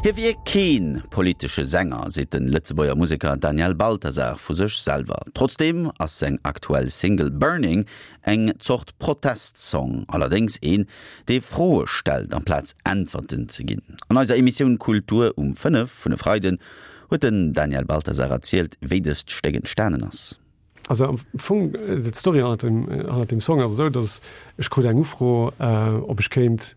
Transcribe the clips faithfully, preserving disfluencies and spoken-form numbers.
Hie wier kee politesche Sänger, seet de Lëtzebuerger Museker Daniel Balthasar vu sech selwer. Trotzdeem ass seng aktuell Single Burning eng Zort Protestsong, allerdéngs een, dee Froe stellt amplaz Äntwerten ze ginn. An eiser Emissioun Kultur um fënnef vun e Freiden huet den Daniel Balthasar erzielt, wéi dëst Stéck entstanen ass. Also am Fong d'Story hannert dem, hannert dem Song ass esou, dass ech krut eng Ufro, äh, ob ech kéint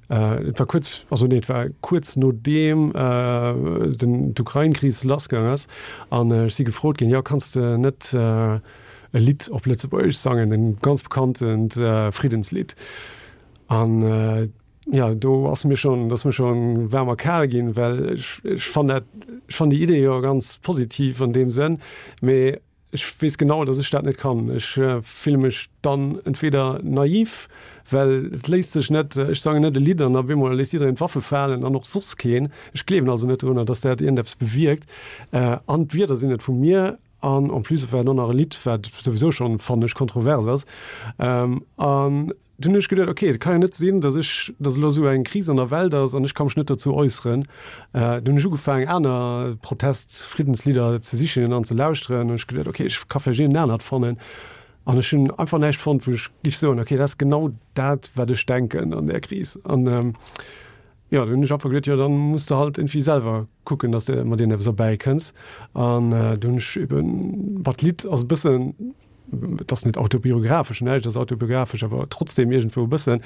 äh, et war kuerz also nee, et war kuerz nodeem äh, den d'Ukrainkris lassgaang ass an äh, ech si gefrot ginn, jo kanns de net äh, e Lidd op Lëtzebuergesch sangen, e ganz bekanntent äh, Friddenslidd an äh, ja do ass mir schonn dat ass mir schonn waarm a kal ginn, well ech, ech fannt dat ech fannt déi Idee jo ganz positiv an deem Sënn mee ech weess genau, dass ech dat net kann. Ech äh, fille mech dann entweder naiv, well et léisst sech net ech sangen net e Lidd an op eemol léisst jiddereen d'Waffe falen an och soss keen. Ech gleewen also net drun, dass dat iergendeppes bewierkt. Äh, an d'Wierder sinn net vu mir an en plus war dann nach e Lidd, wat souwisou schonn fannen ech kontrovers ass. Ähm, an dunn hunn ech geduecht, okay, et kann jo net sinn, dass ech dass elo sou eng Kris an der Welt ass an ech ka mech net dozou äusseren. Äh, dunn hunn ech ugefaangen aner Protest-Friddenslidder ze sichen an ze lauschteren an ech geduecht, okay, ech ka vläicht een anert fannen. An ech hunn einfach näischt fonnt, wou ech géif soen, okay, dat ass genau dat, wat ech denken an der Kris. An ähm, ja, dunn hunn ech einfach geduecht, jo, dann muss de halt iergendwéi selwer kucken, dass de mat iergendeppes erbäikënns. An äh, dunn hunn ech eben, wat d'Lidd ass e bëssen et ass net autobiografesch, näischt ass autobiografesch, awer trotzdem iergendwou e bëssen,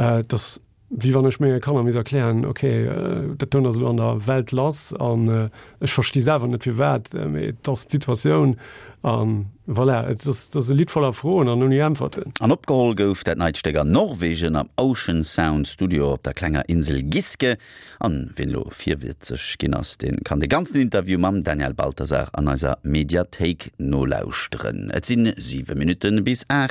äh, dass wéi wann ech menge Kanner misst erklären, okay, äh, dat do ass elo an der Welt lass an äh, ech versti selwer net firwat, äh, mee dat ass d'Situatioun an voilà, et ass, dat ass e Lidd voller Froen an ouni Äntwerten. An opgeholl gouf dat neit Stéck an Norwegen am Ocean Sound Studio op der klenger Insel Giske. An wien elo virwëtzeg ginn ass, dee kann de ganzen Interview mam Daniel Balthasar an eiser Mediathéik nolauschteren. Et sinn siwe Minutte bis aacht.